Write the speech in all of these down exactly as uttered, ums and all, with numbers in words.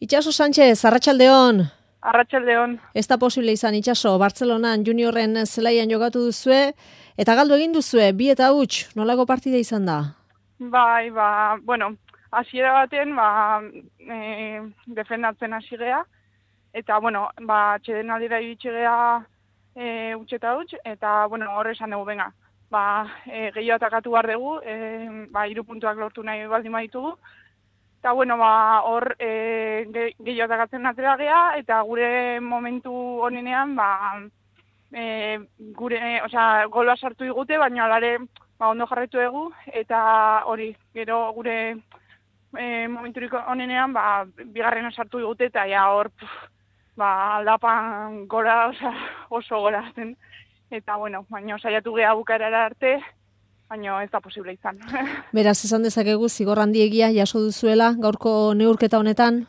Itxaso Sánchez, Arratsaldeon. Arratsaldeon. Ez da posible izan Itxaso, Bartzelonan juniorren zelaian jokatu duzue, eta galdu egin duzue, bi eta huts, nolako partida izan da? Bai, ba, bueno, hasiera baten, ba, e, defendatzen hasi gea, eta, bueno, ba, txeden aldera iritsi gea e, huts eta huts, eta, bueno, horre esan dugu, benga, ba, e, gehiago atakatu behar dugu, e, ba, hiru puntuak lortu nahi baldin baditugu, eta, bueno, ba, hor e, ge, gehiago atakatzen atera gea, eta gure momentu honenean, ba, e, gure, osea, gola sartu digute, baina alare, ba, ondo jarraitu dugu, eta hori, gero gure e, momenturik honenean, ba, bigarrena sartu digute, eta ja hor, puf, ba, aldapan gora, osea, oso gora zen. Eta, bueno, baina saiatu geha bukaerara arte, baina ez da posible izan. Beraz, esan dezakegu, zigor handiegia jaso duzuela, gaurko neurketa honetan?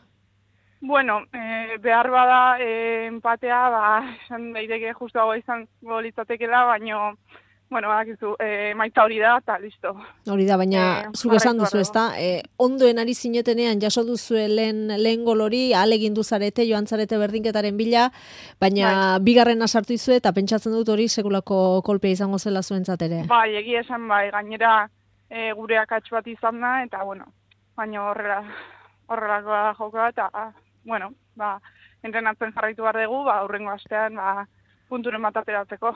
Bueno, e, behar bada e, empatea, ba, esan daiteke justuago izan golitzatekela, baina, bueno, badakizu, e, maitza hori da, eta listo. Hori da, baina e, zuk esan duzu, ezta? E, ondoen ari zinetenean jaso duzu lehen, lehen gol hori, ahalegin duzarete, joan zarete berdinketaren bila, baina bai. Bigarrena sartu izue, eta pentsatzen dut hori sekulako kolpea izango zela zuentzat ere. Bai, egia esan bai, gainera e, gure akats bat izan da, eta bueno, baina horrela, horrelakoa da jokoa, eta, bueno, ba, entrenatzen jarraitu behar dugu, ba, aurrengo astean, ba, punturen bat ateratzeko.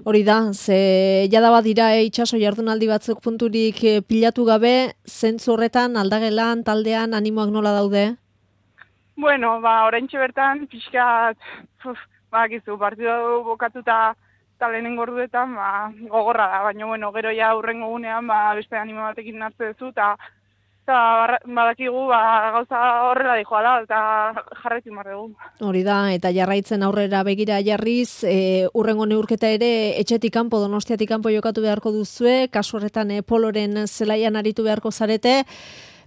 Hori da, ze jada bat dira e, Itxaso jardunaldi batzuk punturik e, pilatu gabe, zentzu horretan, aldagelan, taldean, animoak nola daude? Bueno, ba, oraintxe bertan, pixkat, uf, ba, gizu, partidu bokatuta eta lehenengo orduetan, ba, gogorra da, baina, bueno, gero ja aurrengo gunean, ba, beste animo batekin hartze duzu, eta eta badakigu ba, gauza horrela dijoa da, eta jarraitu behar dugu. Hori da, eta jarraitzen aurrera begira jarriz, e, urrengo neurketa ere etxetik kanpo, Donostiatik kanpo jokatu beharko duzue, kasu horretan e, Poloren zelaian aritu beharko zarete,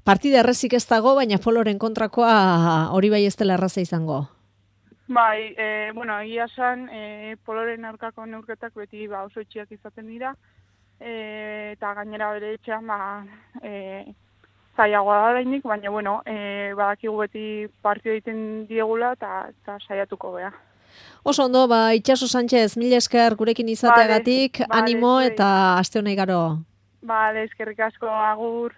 partida errezik ez dago, baina Poloren kontrakoa hori bai ez dela erraza izango. Bai, e, bueno, egia esan, e, Poloren aurkako neurketak beti ba, oso itxiak izaten dira, e, eta gainera bere etxean, ba, e, zaiagoa da dainik, baina, bueno, e, badakigu beti partio egiten diegula eta, eta saiatuko beha. Oso ondo, ba, Itxaso Sánchez, mila esker gurekin izateagatik, vale, animo vale, eta aste honei garo. Bale, eskerrik asko, agur.